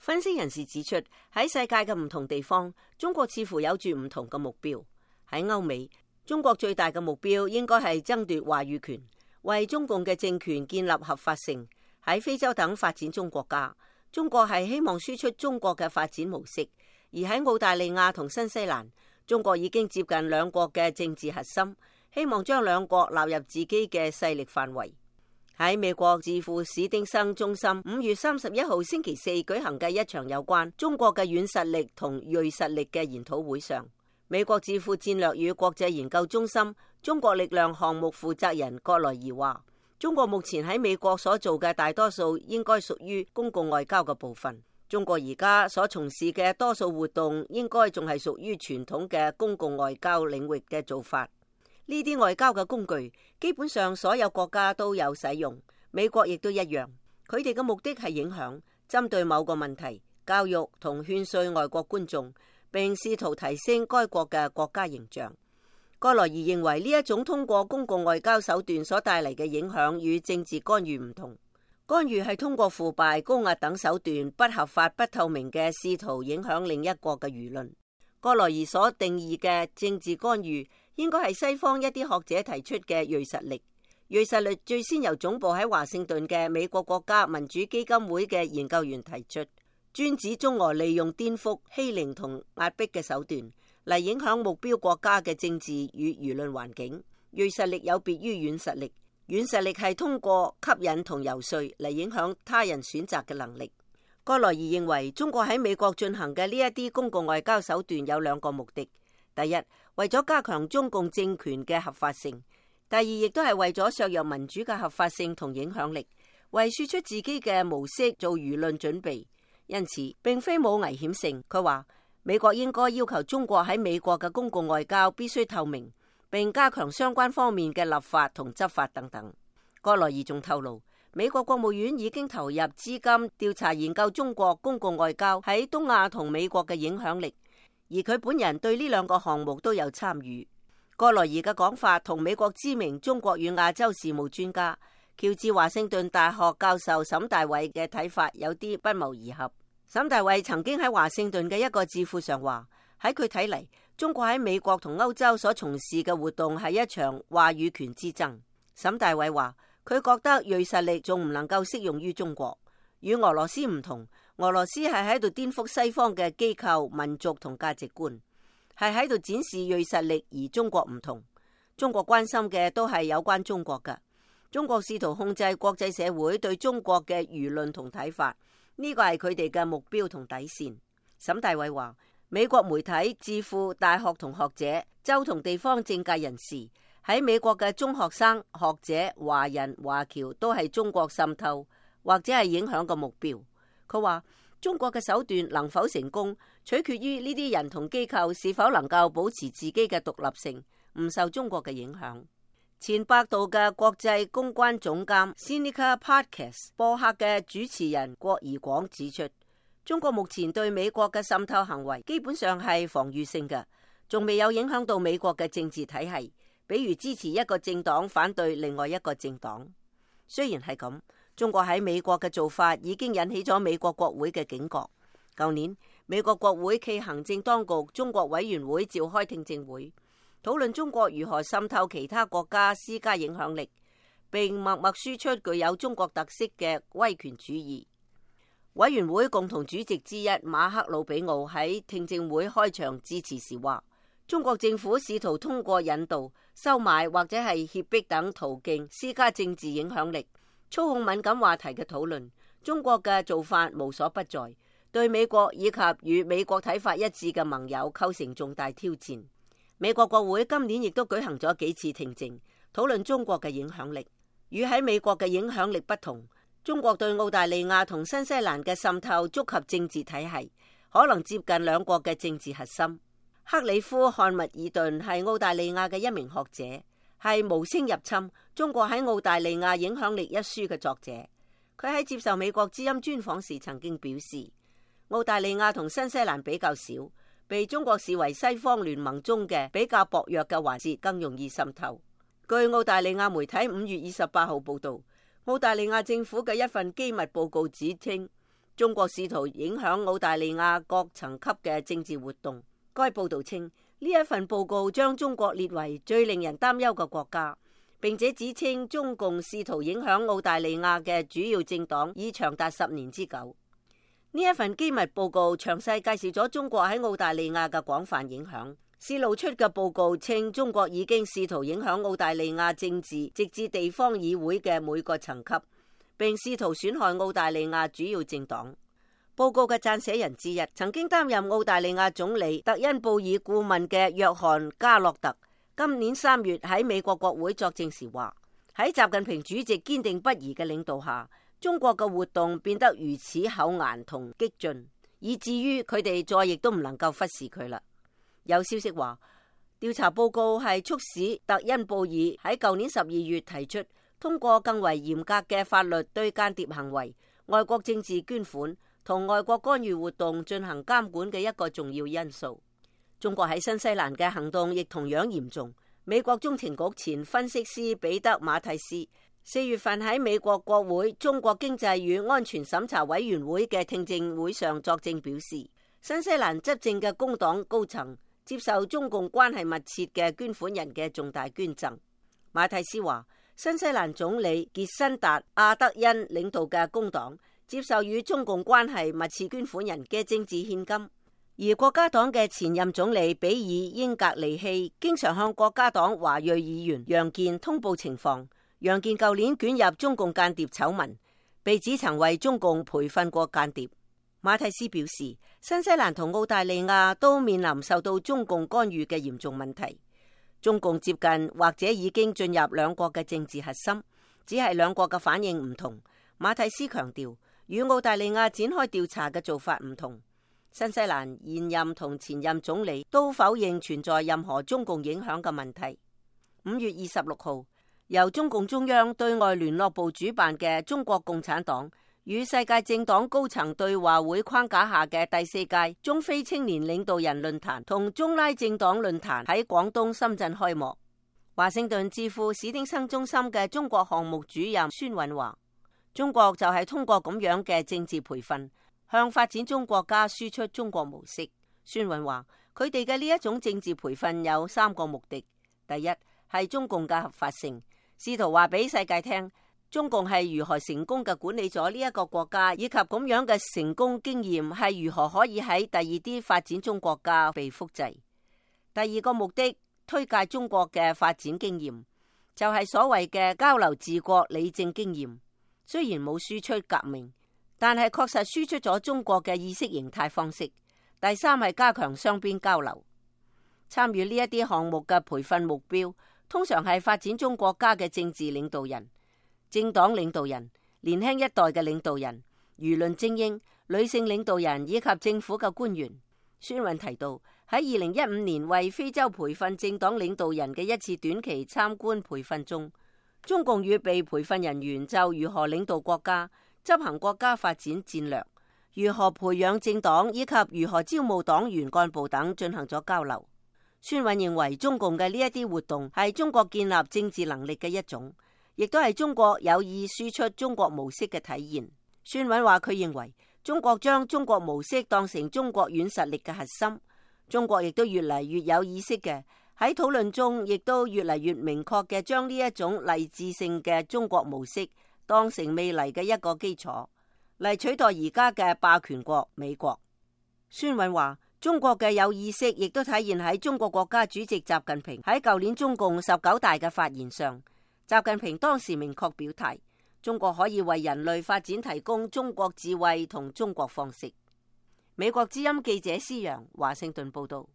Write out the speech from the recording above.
分析人士指出，喺世界嘅唔同地方，中國似乎有住唔同嘅目標。喺歐美，中國最大嘅目標應該係爭奪話語權，為中共嘅政權建立合法性。喺非洲等發展中國家，中國係希望輸出中國嘅發展模式。而喺澳大利亞同新西蘭，中國已經接近兩國嘅政治核心，希望將兩國納入自己嘅勢力範圍。喺美國智庫史丁生中心5月31號星期四舉行嘅一場有關中國嘅軟實力同銳實力嘅研討會上，美國智庫戰略與國際研究中心中國力量項目負責人葛萊儀話，中國目前喺美國所做嘅大多數應該屬於公共外交嘅部分。中國而家所從事嘅多數活動應該仲係屬於傳統嘅公共外交領域嘅做法。呢啲外交嘅工具基本上所有國家都有使用，美國亦都一樣。佢哋嘅目的係影響、針對某個問題、教育同勸說外國觀眾，並試圖提升該國嘅國家形象。葛萊儀認為呢一種通過公共外交手段所帶嚟嘅影響與政治干預唔同。干預係通過腐敗、高壓等手段，不合法、不透明嘅試圖影響另一國嘅輿論。葛萊儀所定義嘅政治干預，應該係西方一啲學者提出嘅銳實力。銳實力最先由總部喺華盛頓嘅美國國家民主基金會嘅研究員提出，專指中俄利用顛覆、欺凌同壓迫嘅手段嚟影響目標國家嘅政治與輿論環境。銳實力有別於軟實力，軟實力係通過吸引同遊說嚟影響他人選擇嘅能力。葛萊儀認為，中國喺美國進行嘅呢一啲公共外交手段有兩個目的：第一，為咗加強中共政權嘅合法性；第二，亦都係為咗削弱民主嘅合法性同影響力，為輸出自己嘅模式做輿論準備。因此，並非冇危險性。佢話，美國應該要求中國喺美國嘅公共外交必須透明，並加強相關方面嘅立法同執法等等。葛萊儀仲透露，美國國務院已經投入資金調查研究中國公共外交喺東亞同美國嘅影響力，而佢本人對呢兩個項目都有參與。葛萊儀嘅講法同美國知名中國與亞洲事務專家喬治華盛頓大學教授沈大偉嘅睇法有啲不謀而合。沈大偉曾經喺華盛頓嘅一個智庫上話，喺佢睇嚟，中國喺美國同歐洲所從事嘅活動係一場話語權之爭。沈大偉話，佢覺得銳實力仲唔能夠適用於中國，與俄羅斯唔同。俄羅斯係喺度顛覆西方嘅機構、民族同價值觀，係喺度展示銳實力，而中國唔同。中國關心嘅都係有關中國嘅。中國試圖控制國際社會對中國嘅輿論同睇法，呢個係佢哋嘅目標同底線。沈大偉話，美國媒體、智庫、大學同學者、州同地方政界人士，喺美國嘅中學生、學者、華人、華僑都係中國滲透或者係影響嘅目標。佢話，中國嘅手段能否成功，取決於呢啲人同機構是否能夠保持自己嘅獨立性，唔受中國嘅影響。前百度嘅國際公關總監 Sinica Podcast 播客嘅主持人郭怡廣指出，中國目前對美國嘅滲透行為基本上係防禦性嘅，仲未有影響到美國嘅政治體系，比如支持一個政黨反對另外一個政黨。雖然係咁，中國喺美國嘅做法已經引起咗美國國會嘅警覺。舊年，美國國會暨行政當局中國委員會召開聽證會，討論中國如何滲透其他國家施加影響力，並默默輸出具有中國特色嘅威權主義。委員會共同主席之一馬克魯比奧喺聽證會開場致辭時話，中國政府試圖通過引導、收買或者係脅迫等途徑施加政治影響力，操控敏感話題嘅討論。中國嘅做法無所不在，對美國以及與美國睇法一致嘅盟友構成重大挑戰。美國國會今年亦都舉行咗幾次聽證，討論中國嘅影響力。與喺美國嘅影響力不同，中國對澳大利亞同新西蘭嘅滲透觸及政治體系，可能接近兩國嘅政治核心。克里夫漢密爾頓係澳大利亞嘅一名學者，係《無聲入侵：中國喺澳大利亞影響力》一書嘅作者。佢喺接受美國之音專訪時曾經表示，澳大利亞同新西蘭比較少，被中國視為西方聯盟中嘅比較薄弱嘅環節，更容易滲透。據澳大利亞媒體5月28號報道，澳大利亞政府嘅一份機密報告指稱，中國試圖影響澳大利亞各層級嘅政治活動。該報道稱，呢一份報告將中國列為最令人擔憂嘅國家，並且指稱中共試圖影響澳大利亞嘅主要政黨已長達10年之久。呢一份機密報告詳細介紹咗中國喺澳大利亞嘅廣泛影響。洩露出嘅報告稱，中國已經試圖影響澳大利亞政治，直至地方議會嘅每個層級，並試圖損害澳大利亞主要政黨。報告嘅撰寫人之一，曾經擔任澳大利亞總理特恩布爾顧問嘅約翰加洛特，今年3月喺美國國會作證時話，喺習近平主席堅定不移嘅領導下，中國嘅活動變得如此厚顏同激進，以至於佢哋再亦都唔能夠忽視佢啦。有消息話，調查報告係促使特恩布爾喺舊年12月提出通過更為嚴格嘅法律對間諜行為、外國政治捐款同外國干預活動進行監管嘅一個重要因素。中國喺新西蘭嘅行動亦同樣嚴重。美國中情局前分析師彼得馬蒂斯4月份喺美國國會中國經濟與安全審查委員會嘅聽證會上作證表示，新西蘭執政嘅工黨高層接受中共關係密切嘅捐款人嘅重大捐贈。馬蒂斯話，新西蘭總理傑辛達·阿德恩領導嘅工黨接受與中共關係密切捐款人嘅政治獻金，而國家黨嘅前任總理比爾·英格尼希經常向國家黨華裔議員楊健通報情況。楊健舊年捲入中共間諜醜聞，被指曾為中共培訓過間諜。馬蒂斯表示，新西蘭同澳大利亞都面臨受到中共干預嘅嚴重問題。中共接近或者已經進入兩國嘅政治核心，只係兩國嘅反應唔同。馬蒂斯強調，與澳大利亞展開調查嘅做法唔同。新西蘭現任同前任總理都否認存在任何中共影響嘅問題。5月26號，由中共中央對外聯絡部主辦嘅中國共產黨與世界政黨高層對話會框架下嘅第4屆中非青年領導人論壇同中拉政黨論壇喺廣東深圳開幕。華盛頓智庫史汀生中心嘅中國項目主任孫韻話，中國就係通過咁樣嘅政治培訓，向發展中國家輸出中國模式。孫韻話，佢哋嘅呢一種政治培訓有3個目的：第一，係中共嘅合法性，試圖話俾世界聽，中共係如何成功嘅管理咗呢一個國家，以及咁樣嘅成功經驗係如何可以喺第二啲發展中國家被複製。第二個目的，推介中國嘅發展經驗，就係所謂嘅交流治國理政經驗。雖然冇輸出革命，但係確實輸出咗中國嘅意識形態方式。第三係加強雙邊交流。參與呢一啲項目嘅培訓目標，通常係發展中國家嘅政治領導人、政黨領導人、年輕一代嘅領導人、輿論精英、女性領導人以及政府嘅官員。孫韻提到，喺2015年為非洲培訓政黨領導人嘅一次短期參觀培訓中，中共與被培訓人員就如何領導國家、執行國家發展戰略、如何培養政黨以及如何招募黨員幹部等進行咗交流。孫韻認為，中共嘅呢一啲活動係中國建立政治能力嘅一種，亦都係中國有意輸出中國模式嘅體現。孫韻話，佢認為中國將中國模式當成中國軟實力嘅核心，中國亦都越嚟越有意識嘅喺討論中，亦都越嚟越明確嘅將呢一種勵志性嘅中國模式當成未來嘅一個基礎，嚟取代而家嘅霸權國美國。孫韻話，中國嘅有意識亦都體現喺中國國家主席習近平喺舊年中共19大嘅發言上。習近平當時明確表態，中國可以為人類發展提供中國智慧同中國方式。美國之音記者施洋華盛頓報道。